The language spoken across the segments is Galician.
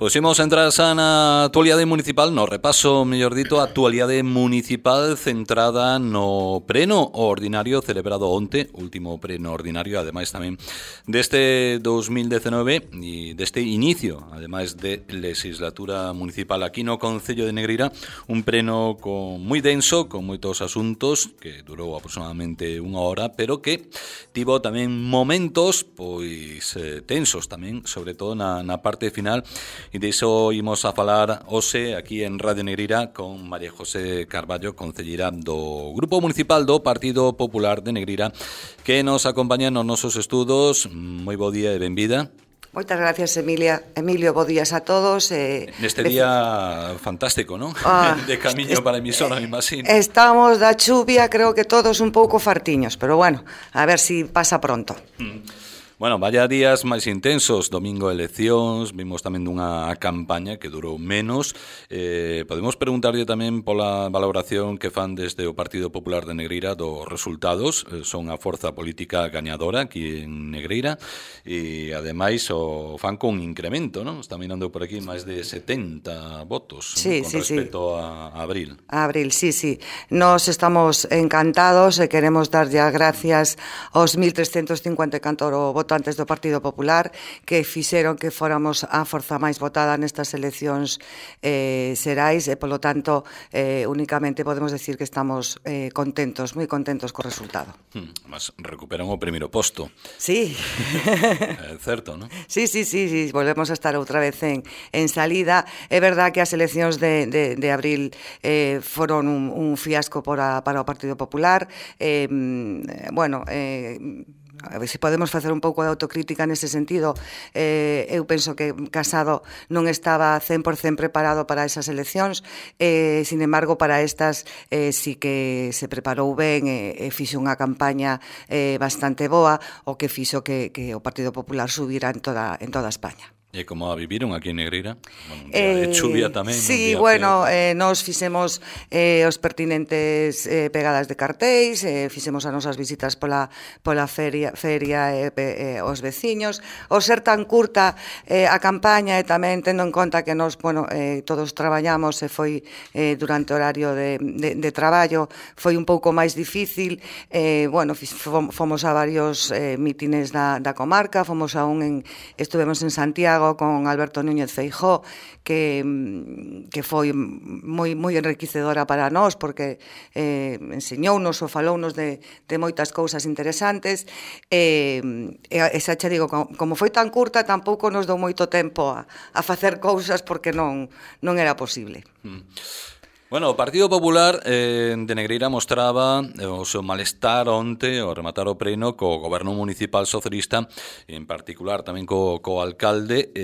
Pois imos entrar xa na actualidade municipal, no repaso, mellor dito, a actualidade municipal centrada no pleno ordinario celebrado onte, último pleno ordinario, ademais tamén deste 2019 e deste inicio, ademais de legislatura municipal aquí no Concello de Negreira, un pleno moi denso, con moitos asuntos, que durou aproximadamente unha hora, pero que tivo tamén momentos pois tensos tamén, sobre todo na parte final. E diso imos a falar hoxe aquí en Radio Negreira con María José Carballo, concelleira do Grupo Municipal do Partido Popular de Negreira, que nos acompaña nos nosos estudos. Moi bo día e benvida. Moitas gracias, Emilio, bo días a todos. Neste día fantástico, non? De camiño para a emisora, me imagino. Estamos da chuvia, creo que todos un pouco fartiños, pero bueno, a ver si pasa pronto. Bueno, vaya días máis intensos, domingo eleccións, vimos tamén dunha campaña que durou menos. Podemos preguntarlle tamén pola valoración que fan desde o Partido Popular de Negreira dos resultados. Son a forza política gañadora aquí en Negreira e ademais o fan con incremento, non? Está mirando por aquí máis de 70 votos, sí, con sí, respecto a abril. A abril, sí. Nos estamos encantados e queremos darlle as gracias aos 1.354 votantes do Partido Popular que fixeron que fóramos a forza máis votada nestas eleccións xerais e, polo tanto, únicamente podemos decir que estamos contentos, moi contentos co resultado. Mas recuperan o primeiro posto. Sí. É certo, non? Sí, volvemos a estar outra vez en salida. É verdad que as eleccións de abril foron un fiasco para o Partido Popular. A ver se podemos facer un pouco de autocrítica nese sentido. Eu penso que Casado non estaba 100% preparado para esas eleccións, sin embargo, para estas sí que se preparou ben e fixo unha campaña bastante boa, o que fixo que o Partido Popular subira en toda España. E como a viviron aquí en Negreira? De chuvia tamén. Sí, bueno, nos fixemos os pertinentes pegadas de cartéis, fixemos as nosas visitas pola feria aos veciños. O ser tan curta a campaña e tamén tendo en conta que nos, todos traballamos e foi durante o horario de traballo, foi un pouco máis difícil. Fomos a varios mítines da comarca, estuvemos en Santiago con Alberto Núñez Feijóo, que foi moi enriquecedora para nós, porque enseñounos ou falounos de moitas cousas interesantes, e xa che digo, como foi tan curta, tampouco nos dou moito tempo a facer cousas porque non era posible. Bueno, o Partido Popular de Negreira mostraba o seu malestar onte ao rematar o pleno co goberno municipal socialista, en particular tamén co alcalde,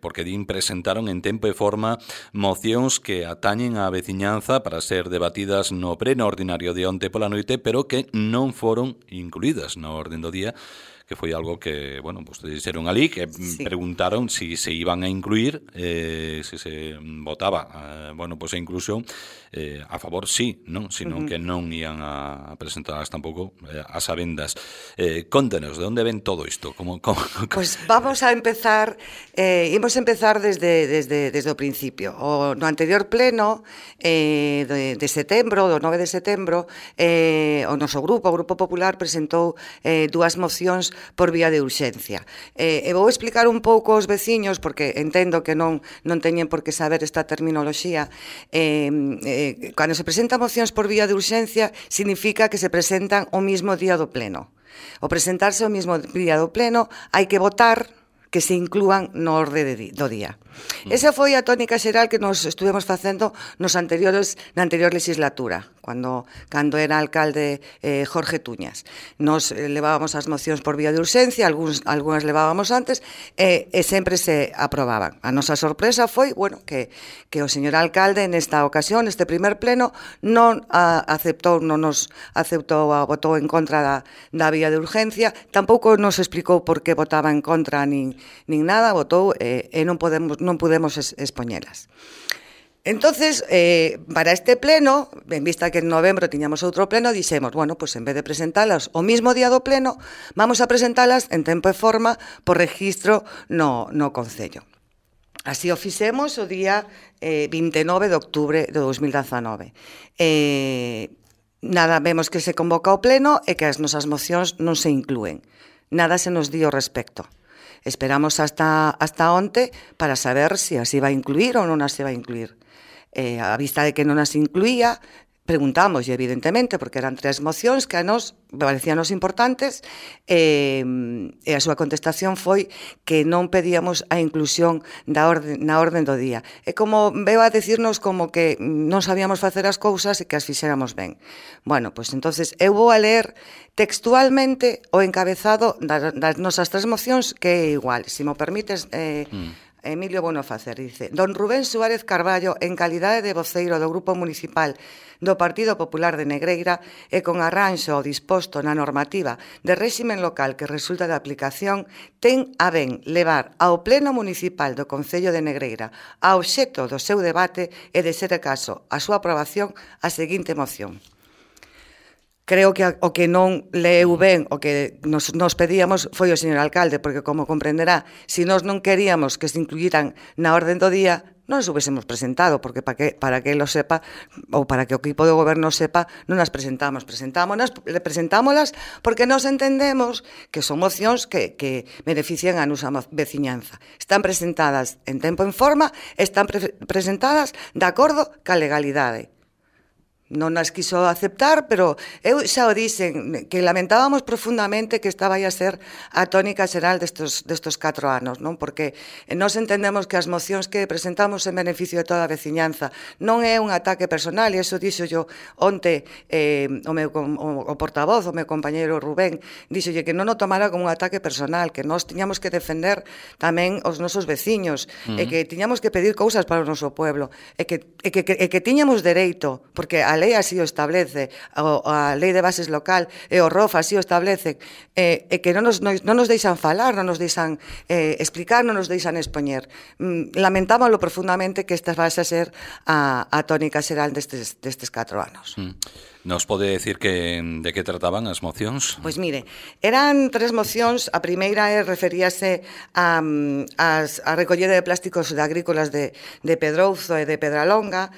porque presentaron en tempo e forma mocións que atañen á veciñanza para ser debatidas no pleno ordinario de onte pola noite, pero que non foron incluídas na orden do día, que foi algo que, vostedes dixeron ali, que sí. Preguntaron si se iban a incluir, se votaba, a inclusión, a favor sí, non? Senón que non ian a presentadas tampouco as sabendas. Contanos, de onde ven todo isto? Pois vamos a empezar, imos empezar desde o principio. No anterior pleno de setembro, do 9 de setembro, o noso grupo, o Grupo Popular, presentou dúas mocións por vía de urxencia. E vou explicar un pouco aos veciños, porque entendo que non teñen por que saber esta terminoloxía. Cando se presentan mocións por vía de urxencia, significa que se presentan o mismo día do pleno. O presentarse o mismo día do pleno, hai que votar que se inclúan no orde do día. Esa foi a tónica xeral que nos estuvemos facendo na anterior legislatura, cando era alcalde Jorge Tuñas. Nos levábamos as mocións por vía de urxencia, algunhas levábamos antes, e sempre se aprobaban. A nosa sorpresa foi, que o señor alcalde nesta ocasión, neste primer pleno, non nos aceptou, votou en contra da vía de urgencia, tampouco nos explicou por que votaba en contra nin nada, votou e non pudemos expoñelas. Entonces, para este pleno, en vista que en novembro tiñamos outro pleno, dixemos, en vez de presentalas o mismo día do pleno, vamos a presentalas en tempo e forma por registro no Concello. Así o fixemos o día 29 de outubro de 2019. Nada, vemos que se convoca o pleno e que as nosas mocións non se inclúen. Nada se nos di ao respecto. Esperamos hasta onte para saber se as iba a incluir ou non as iba a incluir. A vista de que non as incluía, preguntamos, evidentemente, porque eran 3 mocións que a nos parecíanos importantes, e a súa contestación foi que non pedíamos a inclusión na orden do día. É como, veo a decirnos como que non sabíamos facer as cousas e que as fixéramos ben. Bueno, pois entonces eu vou a ler textualmente o encabezado das nosas 3 mocións, que é igual. Se mo permites... Emilio Bono facer, dice: Don Rubén Suárez Carballo, en calidade de voceiro do Grupo Municipal do Partido Popular de Negreira e con arranxo o disposto na normativa de réximen local que resulta de aplicación, ten a ben levar ao Pleno Municipal do Concello de Negreira a obxecto do seu debate e, de ser caso, a súa aprobación, a seguinte moción. Creo que o que non leu ben, o que nos pedíamos foi o señor alcalde, porque, como comprenderá, se nós non queríamos que se incluíran na orden do día, non as hubiésemos presentado, porque para que lo sepa, ou para que o equipo de goberno sepa, non as presentamos. Presentámolas porque nos entendemos que son mocións que benefician a nosa veciñanza. Están presentadas en tempo e en forma, están presentadas de acordo ca legalidade. Non as quiso aceptar, pero eu xa o dixen, que lamentábamos profundamente que esta vai a ser a tónica xeral destos 4 anos, non? Porque nós entendemos que as mocións que presentamos en beneficio de toda a veciñanza non é un ataque personal, e iso dixo yo onte o portavoz, o meu compañeiro Rubén, dixolle que non o tomara como un ataque personal, que nós tiñamos que defender tamén os nosos veciños, e que tiñamos que pedir cousas para o noso pueblo, e que tiñamos dereito, porque a lei así o establece, a lei de bases local e o ROF así o establece, e que non nos deixan falar, non nos deixan explicar, non nos deixan expoñer. Lamentámoslo profundamente que esta vai a ser a tónica xeral destes 4 anos. Nos pode decir de que trataban as mocións? Pois mire, eran 3 mocións. A primeira referíase a recollida de plásticos agrícolas de Pedrouzo e de Pedralonga.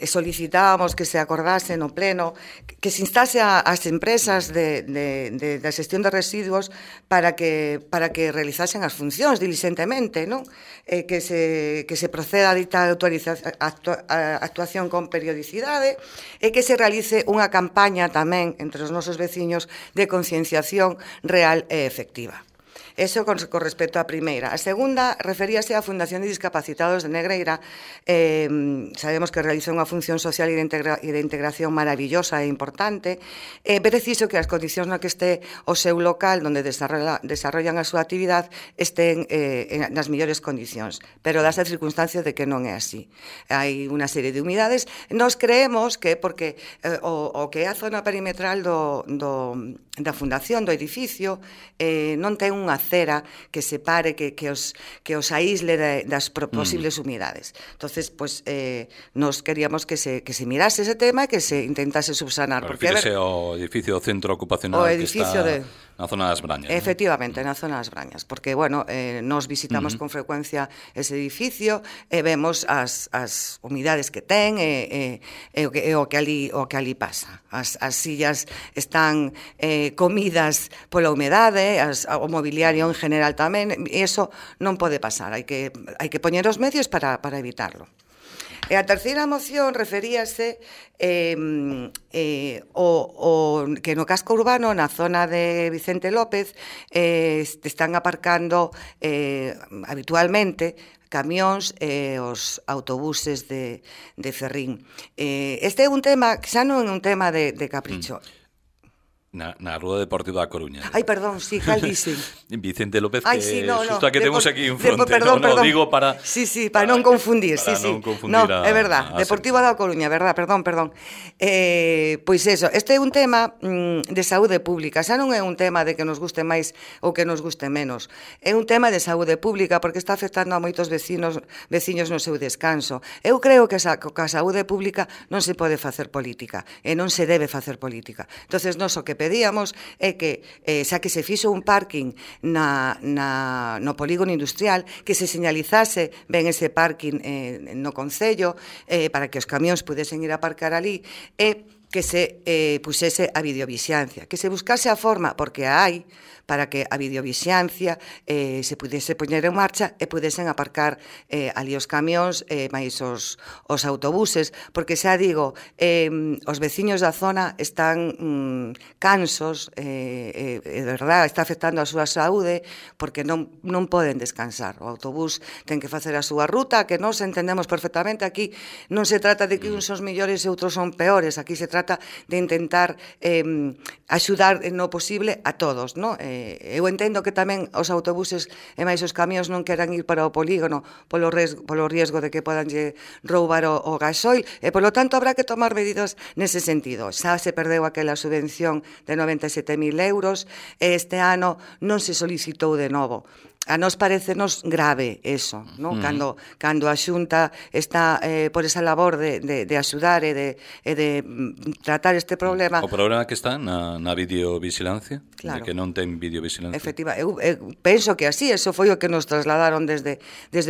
Solicitábamos que se acordase no pleno que se instase ás empresas da xestión de residuos para que realizasen as funcións diligentemente, non? Que se proceda a dita actuación con periodicidade e que se realice unha campaña tamén entre os nosos veciños de concienciación real e efectiva. Eso con respecto á primeira. A segunda referíase á Fundación de Discapacitados de Negreira. Sabemos que realiza unha función social e de integración maravillosa e importante. É preciso que as condicións na que este o seu local, onde desarrollan a súa actividade, estén nas mellores condicións. Pero das circunstancias de que non é así. Hai unha serie de humidades. Nos creemos que porque o que é a zona perimetral da fundación, do edificio, non ten unha acera que separe, que os aísle das posibles humidades. Entonces, pues, nos queríamos que se mirase ese tema e que se intentase subsanar. Refírese ao edificio centro ocupacional que está na zona das Brañas. Efectivamente, na zona das Brañas, porque, bueno, nos visitamos con frecuencia ese edificio e vemos as humidades que ten e o que ali pasa. As sillas están comidas pola humedade, o mobiliario en general tamén, e iso non pode pasar, hai que poñer os medios para evitarlo. E a terceira moción referíase que no casco urbano, na zona de Vicente López, están aparcando habitualmente camións e os autobuses de Ferrín. Este é un tema que xa non é un tema de capricho. Na Rúa Deportiva da Coruña. Ai, perdón, sí, cal dicen? Vicente López, que xusto a que temos aquí en fronte. Perdón. Digo para... Sí, para non confundir. Para non confundir. No, é verdad, Deportiva da Coruña, verdad, perdón. Pois eso, este é un tema de saúde pública. Xa non é un tema de que nos guste máis ou que nos guste menos. É un tema de saúde pública porque está afectando a moitos veciños no seu descanso. Eu creo que a saúde pública non se pode facer política e non se debe facer política. Entonces, nós o que pedíamos é que, xa que se fixo un parking no polígono industrial, que se señalizase ben ese parking no concello para que os camións pudesen ir a aparcar ali, e que se pusese a videovixiancia, que se buscase a forma, porque a hai, para que a videovixiancia se pudese poñer en marcha e pudesen aparcar ali os camións máis os autobuses, porque xa digo, os veciños da zona están cansos, de verdad, está afectando a súa saúde, porque non poden descansar. O autobús ten que facer a súa ruta, que nós entendemos perfectamente. Aquí non se trata de que uns son mellores e outros son peores, aquí se trata de intentar axudar no posible a todos, non? Eu entendo que tamén os autobuses e máis os camións non queran ir para o polígono polo riesgo de que podan roubar o gasoil, e polo tanto habrá que tomar medidas nese sentido. Xa se perdeu aquela subvención de 97.000 euros e este ano non se solicitou de novo. A nós parecenos grave eso, non? Cando a Xunta está por esa labor de axudar e de tratar este problema. O problema que está na videovigilancia, claro, de que non ten videovigilancia. Efectiva, eu penso que así, eso foi o que nos trasladaron desde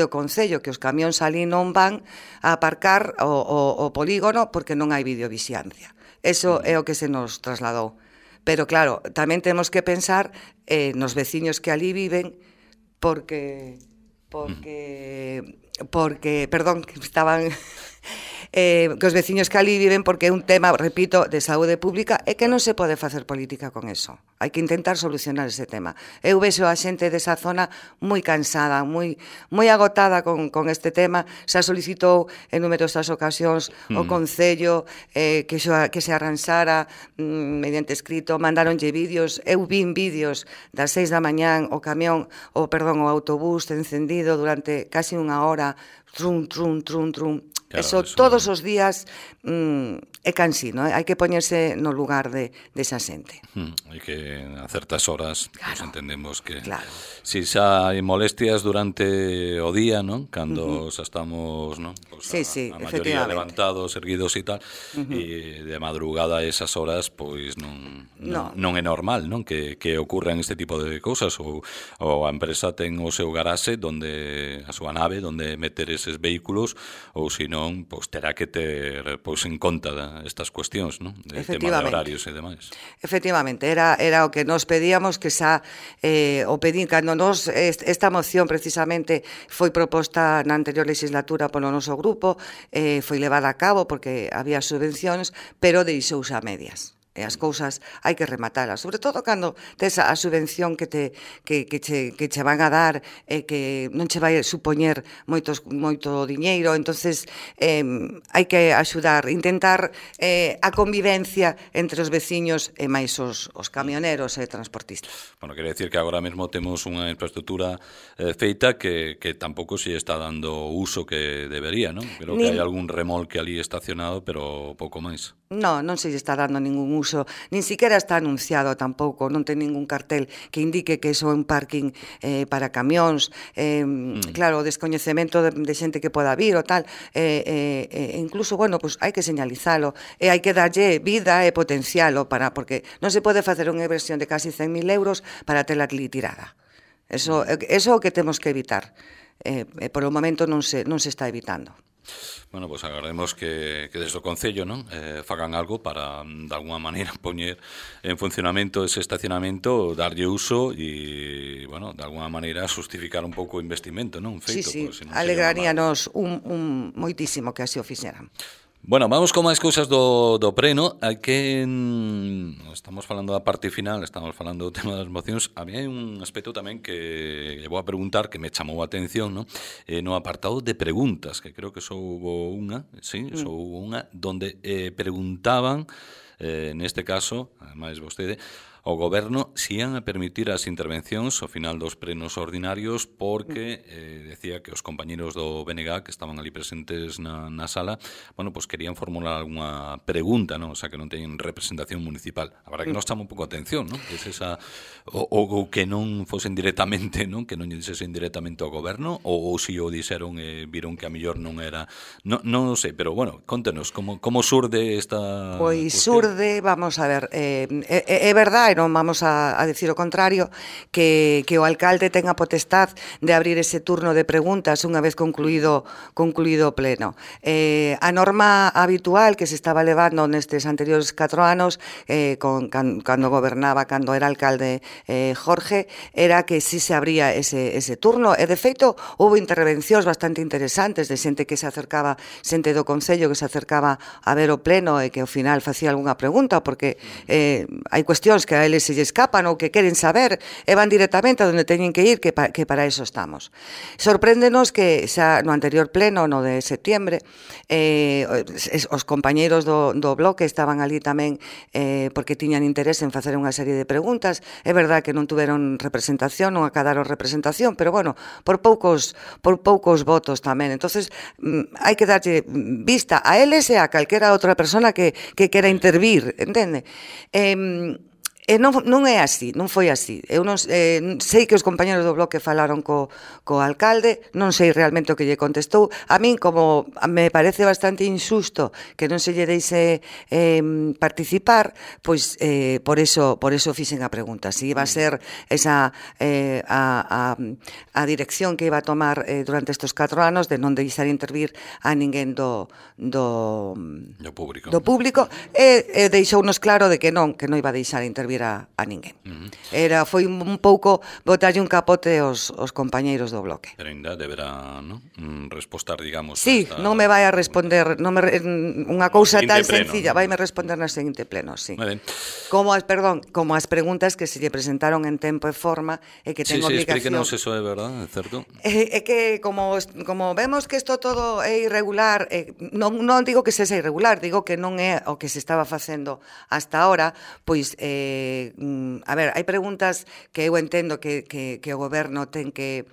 o Concello, que os camións ali non van a aparcar o polígono porque non hai videovigilancia. Eso é o que se nos trasladou. Pero claro, tamén temos que pensar nos veciños que ali viven, porque perdón, que estaban que os veciños que ali viven, porque é un tema, repito, de saúde pública, e que non se pode facer política con eso. Hai que intentar solucionar ese tema. Eu vexo a xente desa zona moi cansada, moi agotada con este tema. Xa solicitou en numerosas ocasións o Concello que se arranxara mediante escrito, mandaronlle vídeos. Eu vin vídeos das 6 da mañán o autobús encendido durante casi unha hora, trum. Claro, eso todos os días é cansino, hai que poñerse no lugar desa xente. Hai que a certas horas, claro, pues entendemos que claro, si xa hai molestias durante o día, non? Cando xa estamos, non? Pues a maioría levantados, erguidos e tal, e de madrugada a esas horas, pois non é normal, non? Que ocurran este tipo de cousas, ou a empresa ten o seu garaxe a súa nave, onde meter eses vehículos, ou se non, pois terá que ter en conta estas cuestións, non? De tema de horarios e demais. Efectivamente, era o que nos pedíamos, que xa o pedín cando nos esta moción precisamente foi proposta na anterior legislatura polo noso grupo, foi levada a cabo porque había subvencións, pero deixouse a medias. E as cousas hai que rematalas, sobre todo cando tes a subvención que che van a dar e que non che vai supoñer moito diñeiro. Entonces hai que axudar, intentar a convivencia entre os veciños e máis os camioneros e transportistas. Bueno, quere decir que agora mesmo temos unha infraestructura feita que tampouco se está dando uso que debería, non? Creo que hai algún remolque ali estacionado, pero pouco máis. Non se está dando ningún uso, nin siquiera está anunciado tampouco, non ten ningún cartel que indique que iso é un parking para camións. Claro, o descoñecemento de xente que poda vir ou tal, incluso, bueno, pues hai que señalizalo e hai que darlle vida e potencialo porque non se pode facer unha inversión de casi 100.000 euros para tela ali tirada. Eso é o que temos que evitar. Por o momento non se está evitando. Bueno, pues agardemos que desde o Concello, non, fagan algo para, de alguna maneira, poñer en funcionamento ese estacionamento, darlle uso e, bueno, de alguna maneira justificar un pouco o investimento, non? Feito, sí, alegraríanos moitísimo que así o fixeran. Bueno, vamos con máis cousas do preno. Estamos falando da parte final, estamos falando do tema das mocións. A mí hai un aspecto tamén que vou a preguntar, que me chamou a atención, ¿no? No apartado de preguntas, que creo que só hubo unha, donde preguntaban, neste caso, ademais vostede, ao Goberno se ian a permitir as intervencións ao final dos plenos ordinarios, porque decía que os compañeros do BNG que estaban ali presentes na sala, bueno, pues querían formular algunha pregunta, ¿no? O sea, que non teñen representación municipal. A verdade que nos chama un pouco a atención, ¿no? Que es esa, ou que non fosen directamente, ¿no? Que non lle dixesen directamente ao Goberno, ou se o dixeron e viron que a mellor non era, non sei, pero bueno, contenos como surde esta pois cuestión. pode, vamos a ver, é verdade, non vamos a decir o contrario, que o alcalde ten a potestad de abrir ese turno de preguntas unha vez concluído o pleno. A norma habitual que se estaba levando nestes anteriores 4 anos, cando gobernaba, cando era alcalde Jorge, era que si se abría ese turno, e de feito houve intervencións bastante interesantes de xente que se acercaba, xente do Concello que se acercaba a ver o pleno e que ao final facía algunha pregunta, porque hai cuestións que a eles se lle escapan ou que queren saber e van directamente a onde teñen que ir, que para eso estamos. Sorpréndenos que xa no anterior pleno, no de septiembre, os compañeiros do bloque estaban ali tamén porque tiñan interés en facer unha serie de preguntas. É verdad que non tuveron representación, non acadaron representación, pero bueno, por poucos votos tamén. Entonces, hai que darlle vista a eles e a calquera outra persona que quera intervir, entende? Non é así, non foi así. Eu non sei que os compañeros do bloque falaron co alcalde, non sei realmente o que lle contestou. A min, como me parece bastante injusto que non se lle deixe participar, pois por eso fixen a pregunta. Si iba a ser esa a dirección que iba a tomar durante estes 4 anos de non deixar intervir a ninguén do público, e deixounos claro de que non iba a deixar intervir a ninguén. Foi un pouco botarlle un capote aos compañeiros do bloque. Pero ainda deberá, non? Respostar, digamos... Sí, non me vai a responder unha cousa tan sencilla, vai me responder na seguinte pleno, sí. Como as preguntas que se lle presentaron en tempo e forma e que ten obligación... Sí, explíquenos eso, é verdad, é certo? É que como vemos que isto todo é irregular, non digo que sexa irregular, digo que non é o que se estaba facendo hasta ahora, pois a ver, hai preguntas que eu entendo que o goberno ten que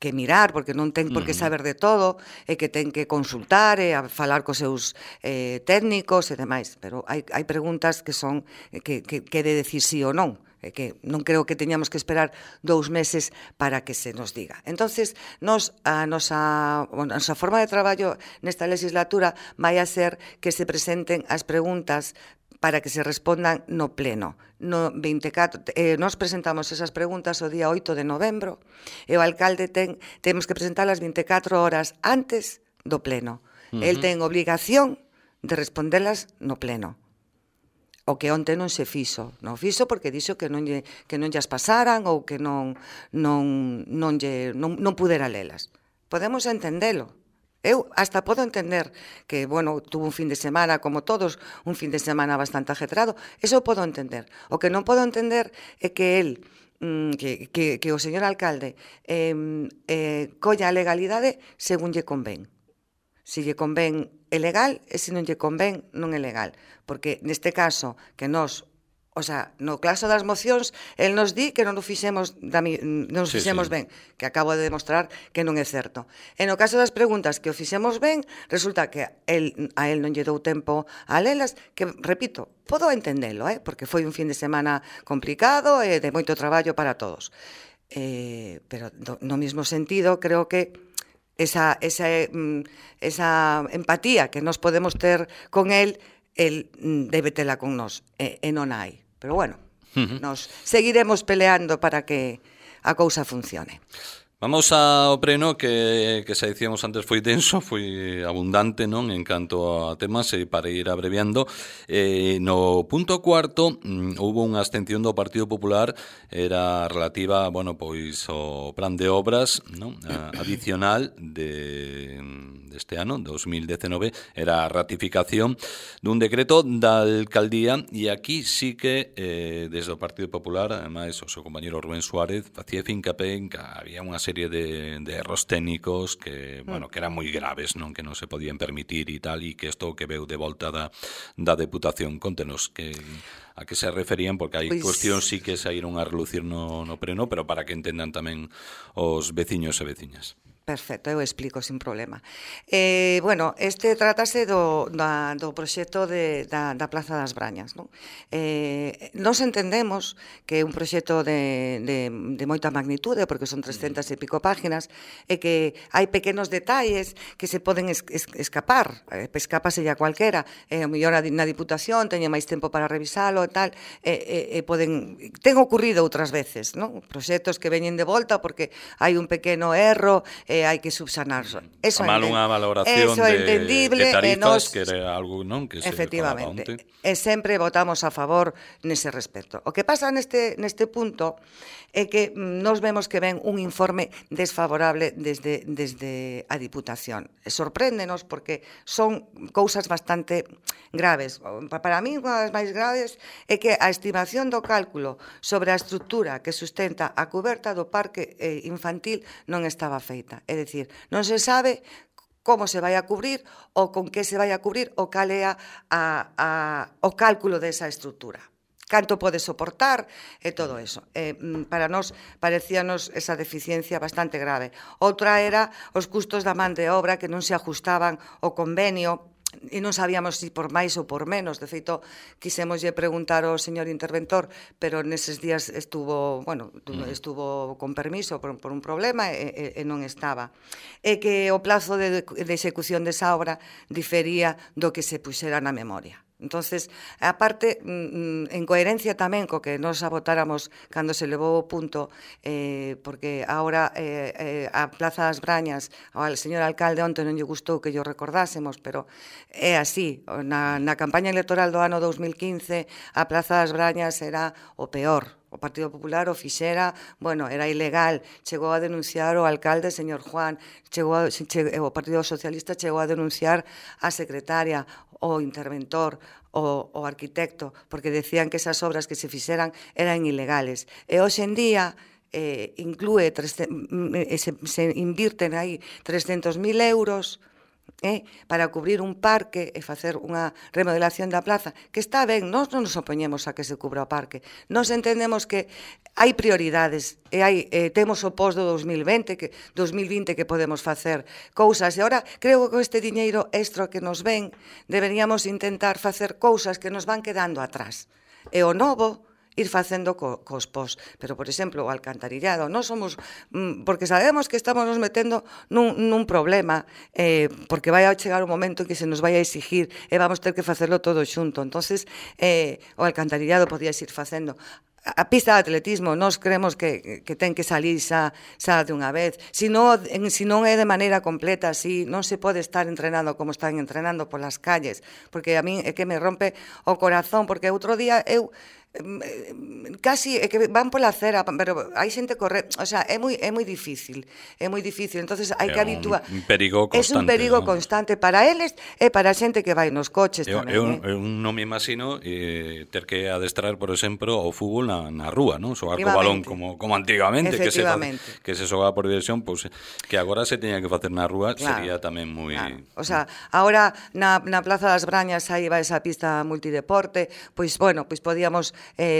mirar, porque non ten por que saber de todo, e que ten que consultar e a falar cos seus técnicos e demais, pero hai preguntas que son que de decir sí ou non, e que non creo que teñamos que esperar 2 meses para que se nos diga. Entonces, a nosa forma de traballo nesta legislatura vai a ser que se presenten as preguntas para que se respondan no pleno. No 24, nos presentamos esas preguntas o día 8 de novembro e o alcalde temos que presentalas 24 horas antes do pleno. El ten obligación de respondelas no pleno. O que onte non se fixo. Non fixo porque dixo que non llas pasaran ou que non pudera lelas. Podemos entendelo. Eu hasta podo entender que, bueno, tuvo un fin de semana, como todos, un fin de semana bastante ajetrado. Eso podo entender. O que non podo entender é que el, que o señor alcalde colla a legalidade según lle convén. Se lle convén é legal e se non lle convén non é legal. Porque neste caso, que nos... O sea, no caso das mocións, el nos di que non nos fixemos ben, que acabo de demostrar que non é certo. E no caso das preguntas que o fixemos ben, resulta que a el non lle dou tempo a lelas, que, repito, podo entendelo, porque foi un fin de semana complicado e de moito traballo para todos. Pero no mesmo sentido, creo que esa empatía que nos podemos ter con el debe tela con nós, e non hai. Pero bueno, nos seguiremos peleando para que a cousa funcione. Vamos ao preno que xa dicíamos antes foi denso, foi abundante, non, en canto a temas, e para ir abreviando, no punto 4 houve unha abstención do Partido Popular, era relativa, bueno, pois ao plan de obras, non, adicional deste ano, 2019, era a ratificación dun decreto da alcaldía, e aquí sí que desde o Partido Popular, ademais o seu compañero Rubén Suárez facía fincapé en que había unha serie de erros técnicos que, bueno, que eran moi graves, non, que non se podían permitir e tal, e que isto que veu de volta da Deputación. Contenos a que se referían, porque hai cuestións sí que saíron a relucir no preno, pero para que entendan tamén os veciños e veciñas. Perfecto, eu explico sin problema. Bueno, este trátase do proxecto da Plaza das Brañas, non? Nos entendemos que é un proxecto de moita magnitude, porque son 300 e pico páginas, e que hai pequenos detalles que se poden escapar, escápaselle a cualquera, o mellor na Diputación teñe máis tempo para revisalo e tal, ten ocurrido outras veces, non? Proxectos que veñen de volta porque hai un pequeno erro, hai que subsanarso. Eso mal unha valoración de tarifas, que era algo, non, que se falaba onte. E sempre votamos a favor nese respecto. O que pasa neste punto é que nos vemos que ven un informe desfavorable desde a Diputación. E sorpréndenos porque son cousas bastante graves. Para mí, unha das máis graves é que a estimación do cálculo sobre a estrutura que sustenta a cuberta do parque infantil non estaba feita. É dicir, non se sabe como se vai a cubrir ou con que se vai a cubrir ou cal é o cálculo desa estrutura. Canto pode soportar e todo eso. Para nós parecíanos esa deficiencia bastante grave. Outra era os custos da man de obra que non se ajustaban ao convenio e non sabíamos se por máis ou por menos. De feito, quisemoslle preguntar ao señor interventor, pero neses días estuvo con permiso por un problema e non estaba. E que o plazo de execución desa obra difería do que se puxera na memoria. Entonces, aparte, en coherencia tamén co que nos votáramos cando se levou o punto, porque agora a Plaza das Brañas, ao señor alcalde onte non lle gustou que lle recordásemos, pero é así. Na campaña electoral do ano 2015, a Plaza das Brañas era o peor. O Partido Popular o fixera, era ilegal, chegou a denunciar o alcalde, señor Juan, o Partido Socialista chegou a denunciar a secretaria, o interventor, o arquitecto, porque decían que esas obras que se fixeran eran ilegales. E hoxe en día se invirten aí 300.000 euros para cubrir un parque e facer unha remodelación da plaza, que está ben, nós non nos opoñemos a que se cubra o parque. Nós entendemos que hai prioridades e temos o pos do 2020 que podemos facer cousas, e agora creo que con este diñeiro extra que nos ven deberíamos intentar facer cousas que nos van quedando atrás. E o novo ir facendo cos pos. Pero, por exemplo, o alcantarillado, non somos, porque sabemos que estamos nos metendo nun problema, porque vai a chegar un momento en que se nos vai a exigir e vamos ter que facerlo todo xunto. Entonces, o alcantarillado podías ir facendo. A pista de atletismo, nós creemos que ten que salir xa de unha vez. Se non é de maneira completa, así non se pode estar entrenando como están entrenando polas calles, porque a min é que me rompe o corazón, porque outro día eu casi é que van pola acera, pero hai xente correr, o sea, é moi difícil, entonces hai que habituar. É un perigo constante. É un perigo constante para eles e para a xente que vai nos coches tamén. Eu non me imagino ter que adestrar, por exemplo, o fútbol na rúa, non? Xogar co balón como antigamente, que se xogaba por diversión, pois que agora se teña que facer na rúa, sería tamén moi... O sea, agora na Plaza das Brañas aí va esa pista multideporte, pois podíamos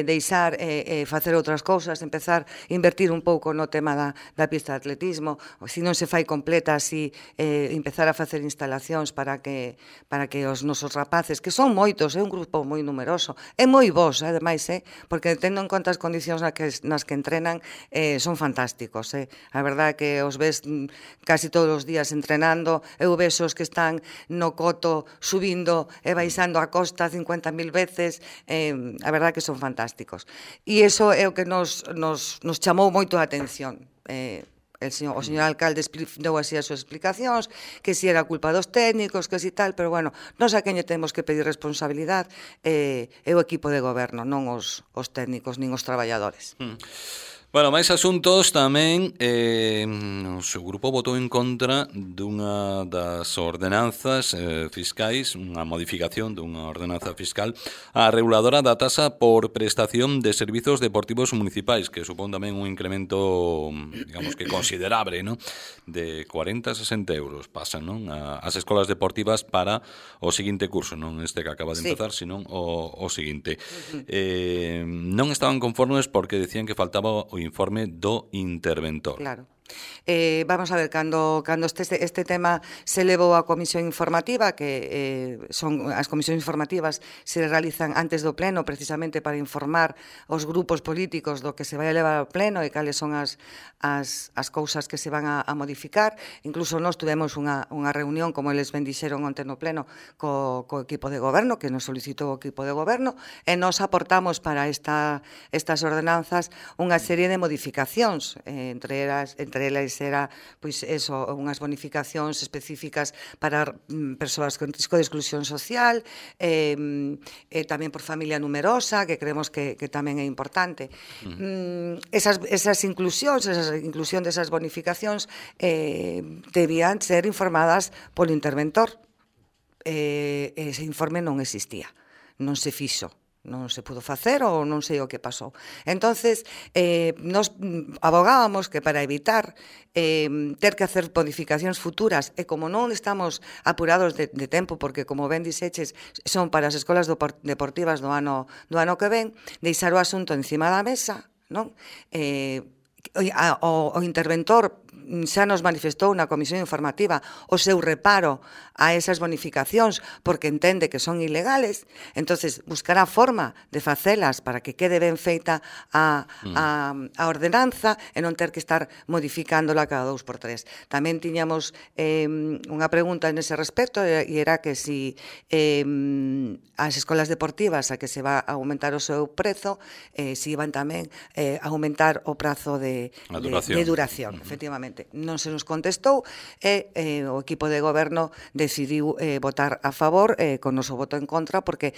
deixar facer outras cousas, empezar a invertir un pouco no tema da pista de atletismo, se non se fai completa así, empezar a facer instalacións para que os nosos rapaces, que son moitos, é un grupo moi numeroso, é moi bos, ademais, porque tendo en conta as condicións nas que entrenan, son fantásticos, a verdade que os ves casi todos os días entrenando, eu ves os que están no coto subindo e baixando a costa 50.000 veces, a verdade que son fantásticos. E iso é o que nos chamou moito a atención. O señor alcalde deu así as súas explicacións, que si era culpa dos técnicos, que si tal, pero nós a quen lle temos que pedir responsabilidade é o equipo de goberno, non os técnicos, nin os traballadores. Bueno, máis asuntos tamén, o seu grupo votou en contra dunha das ordenanzas fiscais, unha modificación dunha ordenanza fiscal a reguladora da tasa por prestación de servizos deportivos municipais, que supón tamén un incremento, digamos que considerable, non? De 40 a 60 euros pasan, non? As escolas deportivas para o seguinte curso, non este que acaba de empezar, senón o seguinte. Non estaban conformes porque decían que faltaba o informe do interventor. Claro. Vamos a ver, cando este tema se levou á comisión informativa, que son as comisións informativas se realizan antes do pleno precisamente para informar os grupos políticos do que se vai a levar ao pleno e cales son as cousas que se van a modificar. Incluso nós tuvemos unha reunión, como eles ben dixeron onte no pleno, co equipo de goberno, que nos solicitou o equipo de goberno, e nos aportamos para estas ordenanzas unha serie de modificacións, entre elas era, pois, eso, unhas bonificacións específicas para persoas con risco de exclusión social, tamén por familia numerosa, que creemos que tamén é importante. Esas inclusións, esa inclusión desas bonificacións debían ser informadas polo interventor. Ese informe non existía, non se fixo. Non se pudo facer ou non sei o que pasou. Entonces, nos abogábamos que para evitar ter que hacer modificacións futuras, e como non estamos apurados de tempo, porque como ben dixeches, son para as escolas deportivas do ano que ven, deixar o asunto encima da mesa, non? O interventor xa nos manifestou na comisión informativa o seu reparo a esas bonificacións porque entende que son ilegales, entonces buscará forma de facelas para que quede ben feita a ordenanza e non ter que estar modificándola cada 2 por 3. Tamén tiñamos unha pregunta nese respecto e era que si as escolas deportivas a que se va a aumentar o seu prezo, si iban tamén a aumentar o prazo de duración, efectivamente. Non se nos contestou e o equipo de goberno decidiu votar a favor con noso voto en contra porque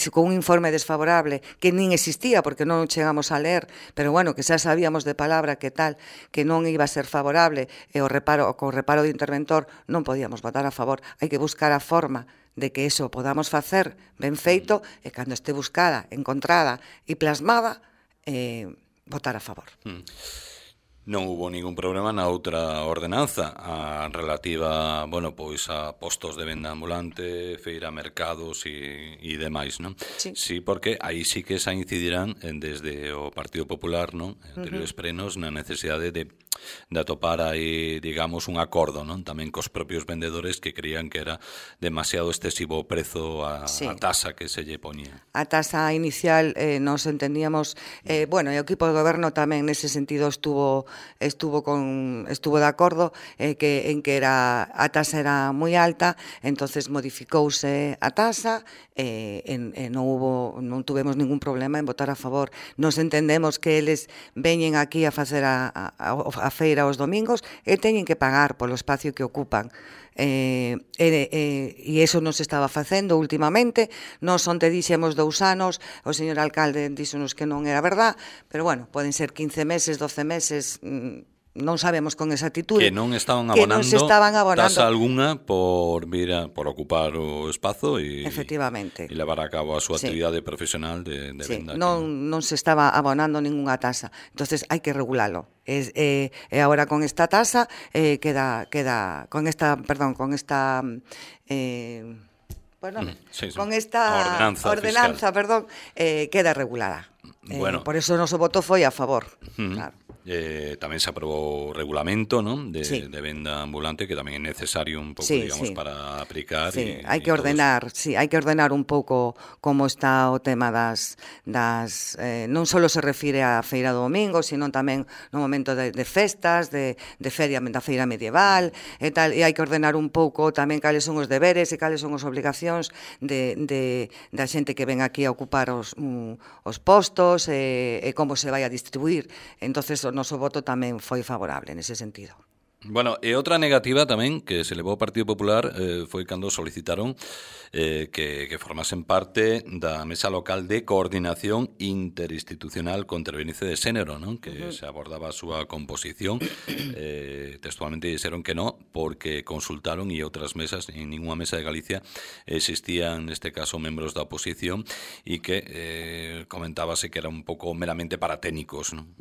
con un informe desfavorable que nin existía porque non chegamos a ler, pero bueno, que xa sabíamos de palabra que tal, que non iba a ser favorable e co reparo do interventor non podíamos votar a favor. Hai que buscar a forma de que eso podamos facer ben feito e cando este buscada, encontrada e plasmada, votar a favor. Non hubo ningún problema na outra ordenanza, a relativa, bueno, pois a postos de venda ambulante, feira, mercados e demais, non? Sí, porque aí sí que xa incidirán desde o Partido Popular, non? En anteriores plenos na necesidade de atopar aí, digamos, un acordo, non? Tamén cos propios vendedores que creían que era demasiado excesivo o prezo a tasa que se lle ponía. A tasa inicial nos entendíamos, bueno, e o equipo de goberno tamén nese sentido estuvo de acordo en que a tasa era moi alta, entonces modificouse a tasa e non tuvemos ningún problema en votar a favor. Nos entendemos que eles veñen aquí a facer a feira os domingos e teñen que pagar polo espacio que ocupan. E iso non se estaba facendo últimamente. Nós onte dixemos 2 anos, o señor alcalde díxonos que non era verdad, pero bueno, poden ser 15 meses, 12 meses, non sabemos con exactitude. Que non estaban abonando tasa algunha por ocupar o espazo e levar a cabo a súa actividade profesional de venda. Non se estaba abonando ninguna tasa. Entonces hai que regulalo. E agora con esta tasa con esta ordenanza, queda regulada. Por eso o noso voto foi a favor. Claro. Tamén se aprobou o regulamento, non? De venda ambulante, que tamén é necesario un pouco, digamos, para aplicar. Hai que ordenar un pouco como está o tema das non só se refire á feira do domingo, sino tamén no momento de festas, de feira medieval e tal, e hai que ordenar un pouco tamén cales son os deberes e cales son as obligacións da xente que ven aquí a ocupar os postos e como se vai a distribuir. Entonces o noso voto tamén foi favorable nese sentido. Bueno, e outra negativa tamén que se levou ao Partido Popular foi cando solicitaron que formasen parte da Mesa Local de Coordinación Interinstitucional contra a Violencia de Xénero, non? Que se abordaba a súa composición. Textualmente dixeron que non, porque consultaron e outras mesas, en ninguna mesa de Galicia existían, neste caso, membros da oposición e que comentábase que era un pouco meramente para técnicos, non?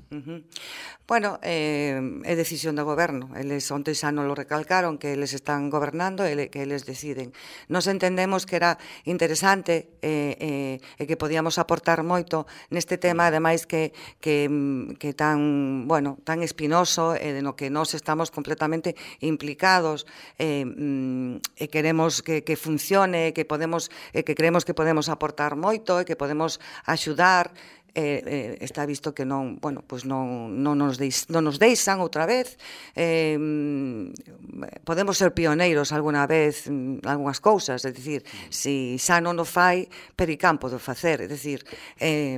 Bueno, é decisión do goberno. eles onte xa non lo recalcaron, que eles están gobernando e que eles deciden. Nos entendemos que era interesante e que podíamos aportar moito neste tema, ademais que tan, bueno, tan espinoso e no que nós estamos completamente implicados e queremos que funcione, que creemos que podemos aportar moito e que podemos axudar. Está visto que non, bueno, pois non nos deixan outra vez. Podemos ser pioneiros alguna vez en algunhas cousas, é dicir, se xa non o fai, Pericampo do facer, é dicir,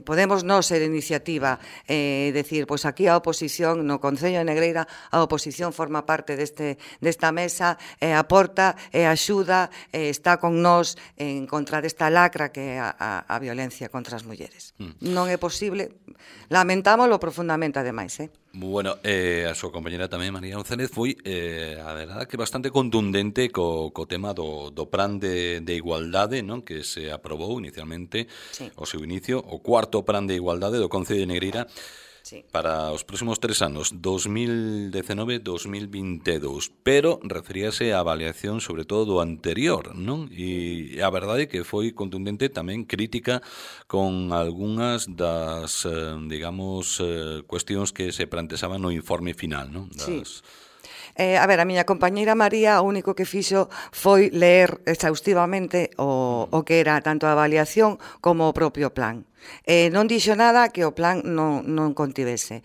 podemos non ser iniciativa, decir, pois aquí a oposición no Concello de Negreira, a oposición forma parte desta mesa, aporta, axuda, está con nós en contra desta lacra que é a violencia contra as mulleres. Non é posible, lamentámoslo profundamente ademais, Bueno, a súa compañera tamén, María González, foi, a verdade, que bastante contundente co tema do plan de igualdade, non, que se aprobou inicialmente, sí, o seu inicio, o cuarto plan de igualdade do Concello de Negreira, sí, para os próximos 3 anos, 2019-2022, pero referíase a avaliación sobre todo do anterior, non? E a verdade é que foi contundente, tamén crítica con algunhas das, digamos, cuestións que se planteaban no informe final, non? Sí. A ver, a miña compañeira María o único que fixo foi ler exhaustivamente o que era tanto a avaliación como o propio plan. Non dixo nada que o plan non contivese.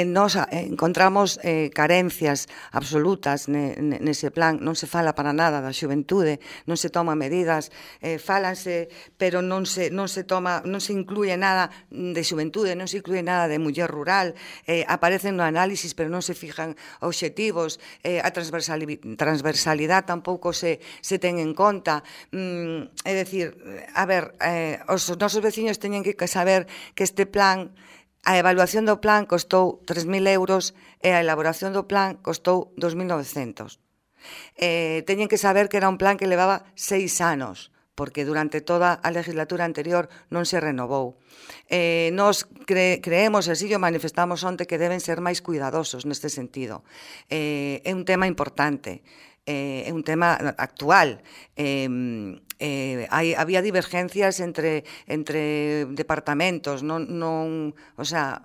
Nos encontramos carencias absolutas nese plan, non se fala para nada da xuventude, non se toman medidas, fálanse, pero non se incluye nada de xuventude, non se incluye nada de muller rural, aparecen no análisis, pero non se fijan obxectivos, a transversalidade tampouco se ten en conta. É dicir, a ver, os nosos vecinos teñen que saber que este plan, a evaluación do plan costou 3.000 euros e a elaboración do plan costou 2.900. Teñen que saber que era un plan que levaba 6 anos, porque durante toda a legislatura anterior non se renovou. Nos creemos, así o manifestamos onte, que deben ser máis cuidadosos neste sentido. É un tema importante, é un tema actual. Había divergencias entre departamentos, o sea,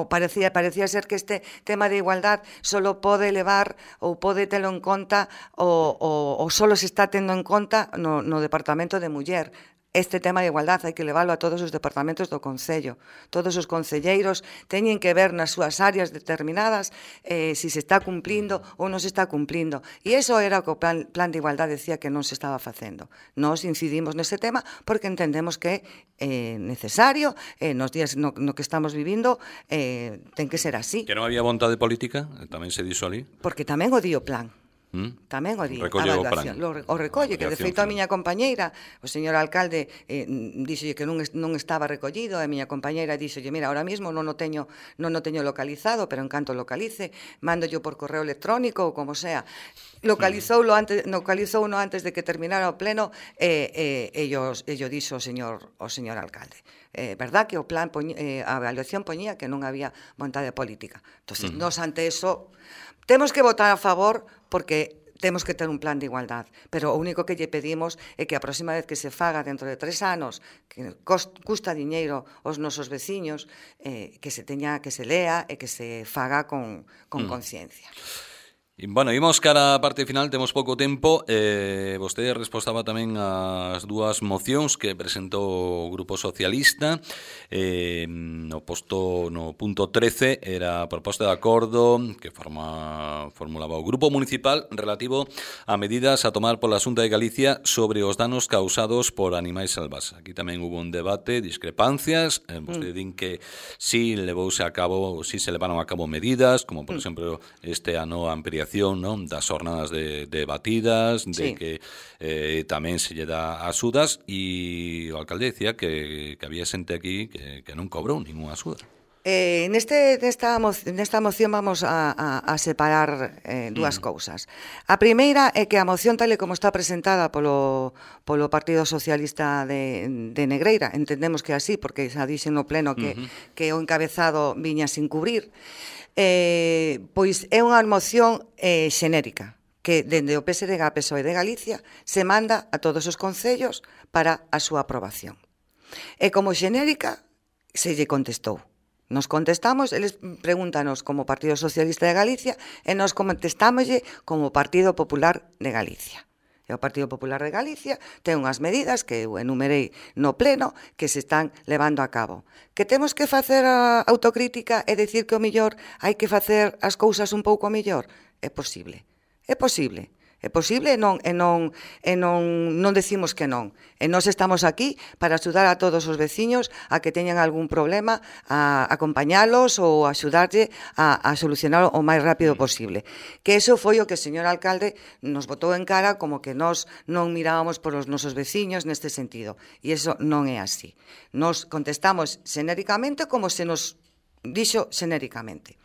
parecía ser que este tema de igualdad solo pode levar ou pode telo en conta ou solo se está tendo en conta no departamento de muller. Este tema de igualdade hai que leválo a todos os departamentos do Concello. Todos os concelleiros teñen que ver nas súas áreas determinadas se se está cumplindo ou non se está cumplindo. E iso era o que o plan de igualdade decía que non se estaba facendo. Nós incidimos nese tema porque entendemos que é necesario, nos días no que estamos vivindo, ten que ser así. Que non había vontade política, tamén se dixo ali? Porque tamén o di o plan. Tamén o di a evaluación, o recolle, que de feito a miña compañeira, o señor alcalde, díxolle que non estaba recollido, e a miña compañeira díxolle, mira, ahora mismo non o teño localizado, pero en canto localice, mándolle por correo electrónico ou como sea. Localizouno antes de que terminara o pleno, e yo dixo o señor alcalde. Verdad que o plan, a evaluación poñía que non había vontade política. Entón, nos ante eso temos que votar a favor porque temos que ter un plan de igualdad, pero o único que lle pedimos é que a próxima vez que se faga dentro de 3 anos, que custa diñeiro aos nosos veciños, que se lea e que se faga con conciencia. Bueno, imos cara a parte final, temos pouco tempo. Vostede respostaba tamén as dúas mocións que presentou o Grupo Socialista. No punto 13 era a proposta de acordo que formulaba o Grupo Municipal relativo a medidas a tomar pola Xunta de Galicia sobre os danos causados por animais salvaxes. Aquí tamén hubo un debate, discrepancias. Vostede din que si se levaron a cabo medidas, como por exemplo este ano a ampliación, non, das jornadas de batidas, de que tamén se lle dá axudas, e o alcalde decía que había xente aquí que non cobrou ninguna axuda. Nesta moción vamos a separar dúas cousas. A primeira é que a moción tal e como está presentada polo Partido Socialista de Negreira, entendemos que é así, porque xa dixen no pleno que o encabezado viña sin cubrir, pois é unha moción xenérica, que dende o PSDG a PSOE de Galicia se manda a todos os concellos para a súa aprobación. E como xenérica se lle contestou. Nos contestamos, eles pregúntanos como Partido Socialista de Galicia e nos contestámoslle como Partido Popular de Galicia. E o Partido Popular de Galicia ten unhas medidas que eu enumerei no pleno que se están levando a cabo. Que temos que facer a autocrítica e decir que o mellor hai que facer as cousas un pouco mellor? É posible. É posible. É posible e non decimos que non. E nós estamos aquí para axudar a todos os veciños a que teñan algún problema, a acompañalos ou axudarlle a solucionar o máis rápido posible. Que eso foi o que o señor alcalde nos botou en cara como que nós non mirábamos por os nosos veciños neste sentido. E eso non é así. Nos contestamos xenéricamente como se nos dixo xenéricamente.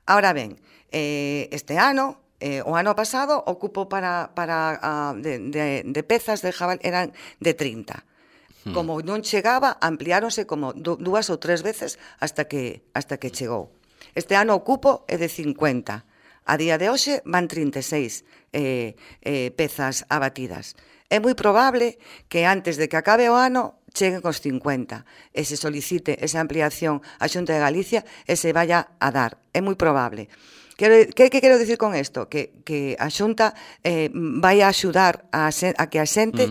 Ahora ben, este ano... o ano pasado ocupo de pezas de jabal eran de 30. Como non chegaba, ampliáronse como 2 ou 3 veces hasta que chegou. Este ano ocupo é de 50. A día de hoxe van 36 pezas abatidas. É moi probable que antes de que acabe o ano cheguen cos 50 e se solicite esa ampliación á Xunta de Galicia e se vaya a dar. É moi probable. Que quero dicir con isto? Que a Xunta vai a axudar a que a xente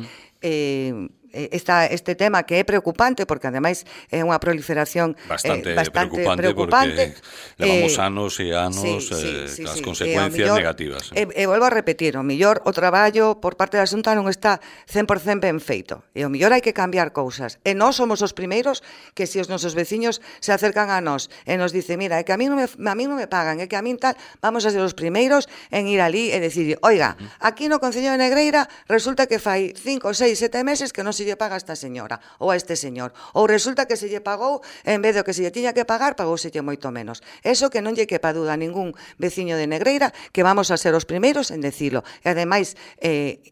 este tema que é preocupante porque ademais é unha proliferación bastante preocupante porque levamos anos e anos as consecuencias negativas. E volvo a repetir, o mellor o traballo por parte da Xunta non está 100% ben feito e o mellor hai que cambiar cousas e nós somos os primeiros que se os nosos veciños se acercan a nós e nos dice, mira, é que a mí non me pagan, é que a mí tal, vamos a ser os primeiros en ir ali e decir, oiga, aquí no Concello de Negreira resulta que fai 5, 6, 7 meses que non se lle paga a esta señora ou a este señor, ou resulta que se lle pagou en vez do que se lle tiña que pagar, pagouselle moito menos. Eso que non lle quepa duda a ningún veciño de Negreira que vamos a ser os primeiros en decilo. E ademais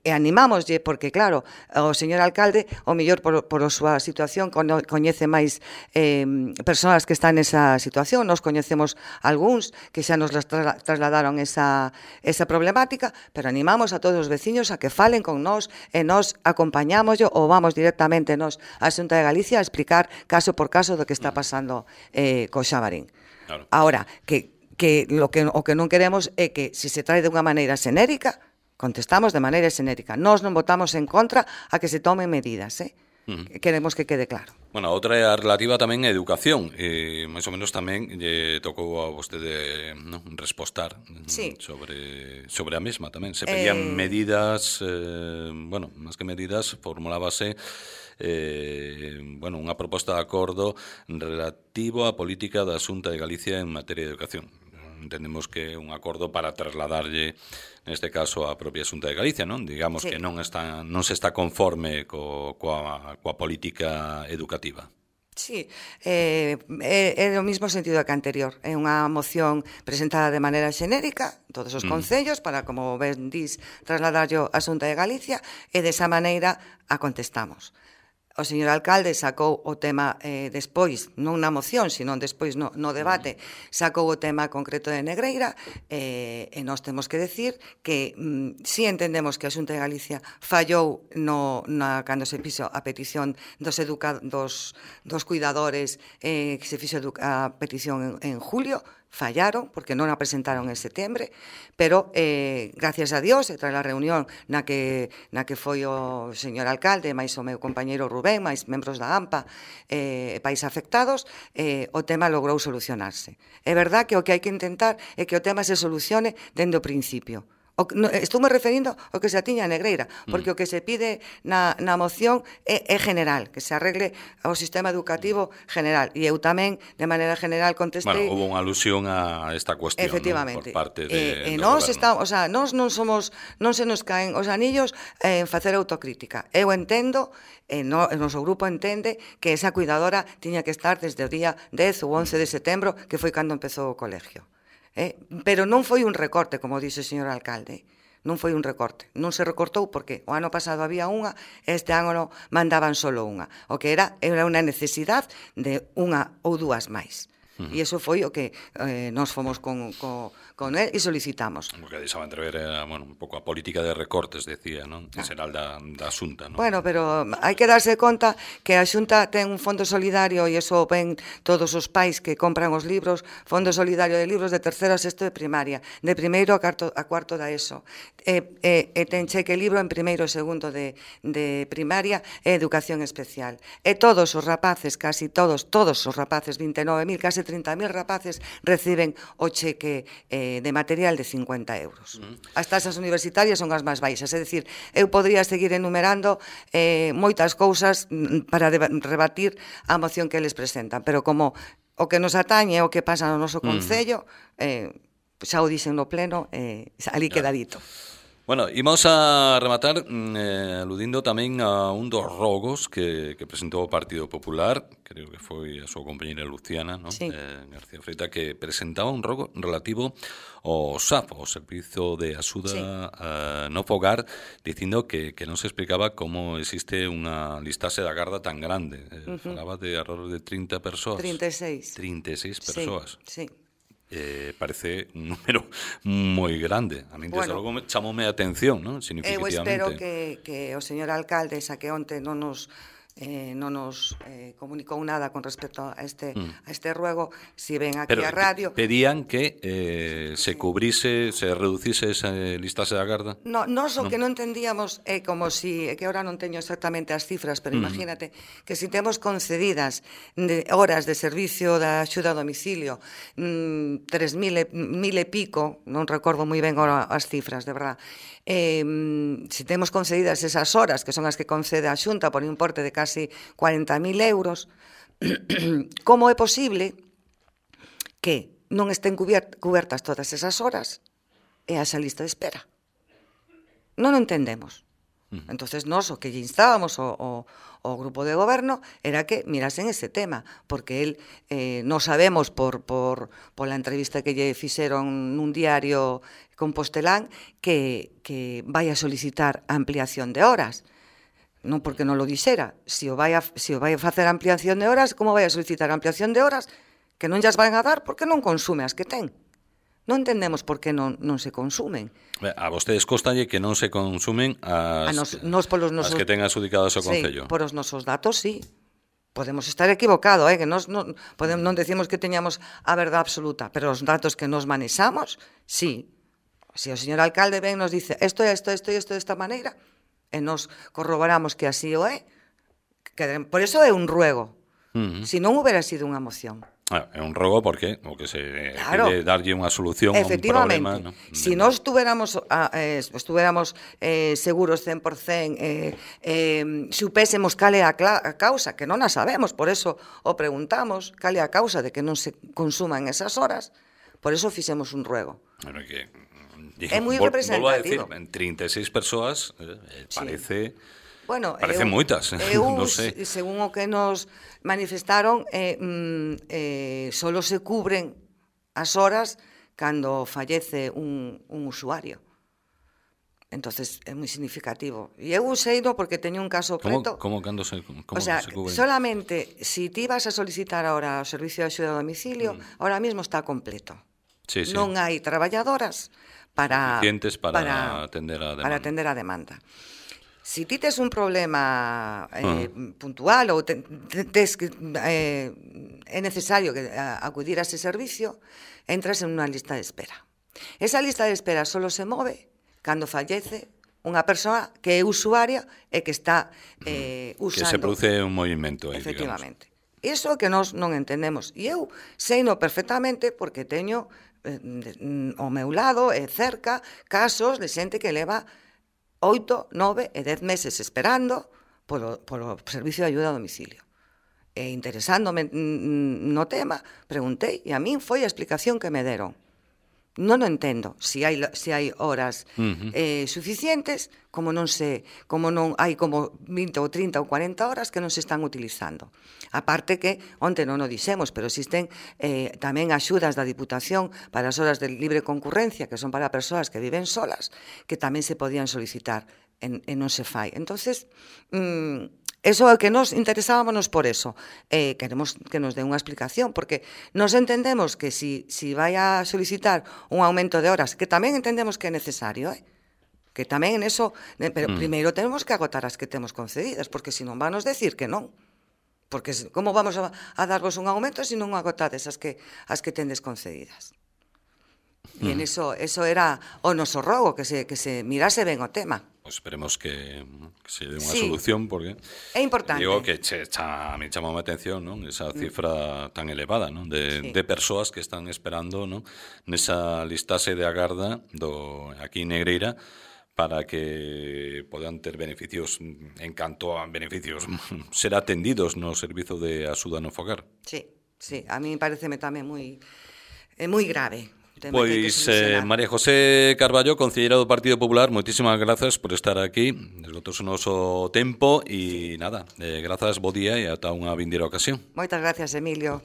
animámoslle porque claro, o señor alcalde o mellor por a súa situación coñece máis persoas que están nesa situación, nos coñecemos algúns que xa nos trasladaron esa problemática, pero animamos a todos os veciños a que falen con nós e nós acompañámoslo ou vamos directamente nós á Xunta de Galicia a explicar caso por caso do que está pasando co Xabarín. Claro. Ahora, o que non queremos é que se se trae de unha maneira xenérica, contestamos de maneira xenérica. Nós non votamos en contra a que se tomen medidas, Queremos que quede claro. Bueno, a outra é a relativa tamén a educación. Mais ou menos tamén lle tocou a vostede respostar sobre a mesma tamén. Se pedían medidas, máis que medidas, formulábase unha proposta de acordo relativo á política da Xunta de Galicia en materia de educación. Entendemos que é un acordo para trasladarlle neste caso a propia Xunta de Galicia, non? Digamos que non se está conforme coa política educativa. Sí, é o mesmo sentido que a anterior. É unha moción presentada de maneira xenérica, todos os concellos, para, como ben dís, trasladarlo á Xunta de Galicia, e desa maneira a contestamos. O señor alcalde sacou o tema despois, non na moción, sino despois no debate, sacou o tema concreto de Negreira e nós temos que decir que si entendemos que a Xunta de Galicia fallou cando se fixo a petición dos cuidadores, que se fixo a petición en julio, fallaron, porque non a presentaron en setembro, pero gracias a Dios, tras a reunión na que foi o señor alcalde, máis o meu compañeiro Rubén, máis membros da AMPA, país afectados, o tema logrou solucionarse. É verdad que o que hai que intentar é que o tema se solucione dende o principio. Estou-me referindo ao que se atiña a Negreira, porque o que se pide na moción é general, que se arregle o sistema educativo general. E eu tamén, de maneira general, contestei... Bueno, houve unha alusión a esta cuestión, efectivamente, por parte do nós goberno. estamos, o sea, nós non se nos caen os anillos en facer autocrítica. Eu entendo, o noso grupo entende que esa cuidadora tiña que estar desde o día 10 ou 11 de setembro, que foi cando empezou o colegio. Pero non foi un recorte, como dixe o señor alcalde. Non foi un recorte. Non se recortou porque o ano pasado había unha, este ano mandaban solo unha. O que era unha necesidade de unha ou dúas máis. E iso foi o que nós fomos con él e solicitamos. O que deixaba entrever era, bueno, un pouco a política de recortes, decía, non? En xeral da Xunta, non? Bueno, pero hai que darse conta que a Xunta ten un fondo solidario e iso ven todos os pais que compran os libros, fondo solidario de libros de tercero a sexto de primaria, de primeiro a cuarto da ESO. E ten cheque libro en primeiro e segundo de primaria e educación especial. E todos os rapaces, casi todos os rapaces, 29.000, casi 30.000 rapaces reciben o cheque de material de 50 euros. As tasas universitarias son as máis baixas, é dicir, eu podría seguir enumerando moitas cousas para rebatir a moción que eles presentan, pero como o que nos atañe o que pasa no noso concello, xa o dixen no pleno, ali quedadito. Bueno, imos a rematar aludindo tamén a un dos rogos que presentou o Partido Popular, creo que foi a súa compañera Luciana, non? Sí. García Freita, que presentaba un rogo relativo ao SAF, o Servizo de Axuda no Fogar, dicindo que non se explicaba como existe unha listaxe da garda tan grande. Falaba de alrededor de 30 persoas. 36 persoas. Sí. Parece un número moi grande. A mí, desde logo, chamoume a atención, non? Significativamente. Eu espero que o señor alcalde, xa que onte non nos comunicou nada con respecto a este ruego, si ven aquí a radio... Pedían que se cubrise, se reducise esa listaxe da garda? Nos o que non entendíamos é como si, que ahora non teño exactamente as cifras, pero imagínate que si temos concedidas horas de servicio da axuda a domicilio, 3.000 e pico, non recordo moi ben as cifras, de verdad, si temos concedidas esas horas, que son as que concede a Xunta por importe de casi 40.000 euros, como é posible que non estén cubertas todas esas horas e a esa lista de espera? Non o entendemos. Entonces, nós o que lle instábamos ao grupo de goberno era que mirasen ese tema, porque el non sabemos pola entrevista que lle fixeron nun diario compostelán que vai a solicitar ampliación de horas. Non porque non lo dixera. Se o vai a facer ampliación de horas, como vai a solicitar ampliación de horas que non llas van a dar porque non consume as que ten? Non entendemos por que non se consumen. A vostedes constalle que non se consumen as que ten adjudicadas o Concello. Sí, por os nosos datos, sí. Podemos estar equivocados, que non decimos que teñamos a verdade absoluta, pero os datos que nos manexamos, sí. Se o señor alcalde ben nos dice isto desta maneira, e nos corroboramos que así o é, por eso é un ruego. Se non houbera sido unha moción. É un rogo porque o que se quere darlle unha solución a un problema, ¿no? Si nós estuviéramos seguros 100%, supésemos cal é a causa, que non a sabemos, por eso o preguntamos, cal é a causa de que non se consuman esas horas, por eso fixemos un ruego. Pero que é moi representativo. Volvo a decir, en 36 persoas parece... Bueno, parecen moitas, non sei. Según o que nos manifestaron, solo se cubren as horas cando fallece un usuario. Entonces é moi significativo. E eu seino porque teño un caso preto. Como cando se cubren? Solamente si ti vas a solicitar ahora o servicio de axuda a domicilio, ahora mismo está completo. Sí. Non hai traballadoras suficientes para atender a demanda. Si ti tes un problema puntual ou é necesario acudir a ese servicio, entras en unha lista de espera. Esa lista de espera só se move cando fallece unha persoa que é usuaria e que está usando... Que se produce un movimento aí, efectivamente. Iso que nós non entendemos. E eu seino perfectamente porque teño ao meu lado e cerca casos de xente que leva 8, 9 e 10 meses esperando polo servicio de ayuda a domicilio. E interesándome no tema, preguntei e a min foi a explicación que me deron. Non o entendo se hai horas suficientes, como non hai como 20 ou 30 ou 40 horas que non se están utilizando. Aparte que, onte non o dixemos, pero existen tamén axudas da Diputación para as horas de libre concurrencia, que son para persoas que viven solas, que tamén se podían solicitar e non se fai. Entonces, eso é que nos interesábamos por eso. Queremos que nos dé unha explicación, porque nos entendemos que si vai a solicitar un aumento de horas, que tamén entendemos que é necesario, que tamén en eso, pero primeiro temos que agotar as que temos concedidas, porque senón vanos decir que non. Porque como vamos a darvos un aumento se non agotades as que tendes concedidas? E en eso era o noso rogo, que se mirase ben o tema. Pues esperemos que se dé unha solución, porque é importante. Digo que me chamou a atención, non? Esa cifra tan elevada, non? De persoas que están esperando, non? Nesa listaxe de agarda aquí en Negreira para que podan ter beneficios, en canto a beneficios, ser atendidos no servizo de axuda no fogar. Sí, a mí pareceme tamén moi grave. Pois María José Carballo, concelleira do Partido Popular, moitísimas grazas por estar aquí, esgotouse o noso tempo e nada, grazas, bo día e ata unha vindeira ocasión. Moitas gracias, Emilio.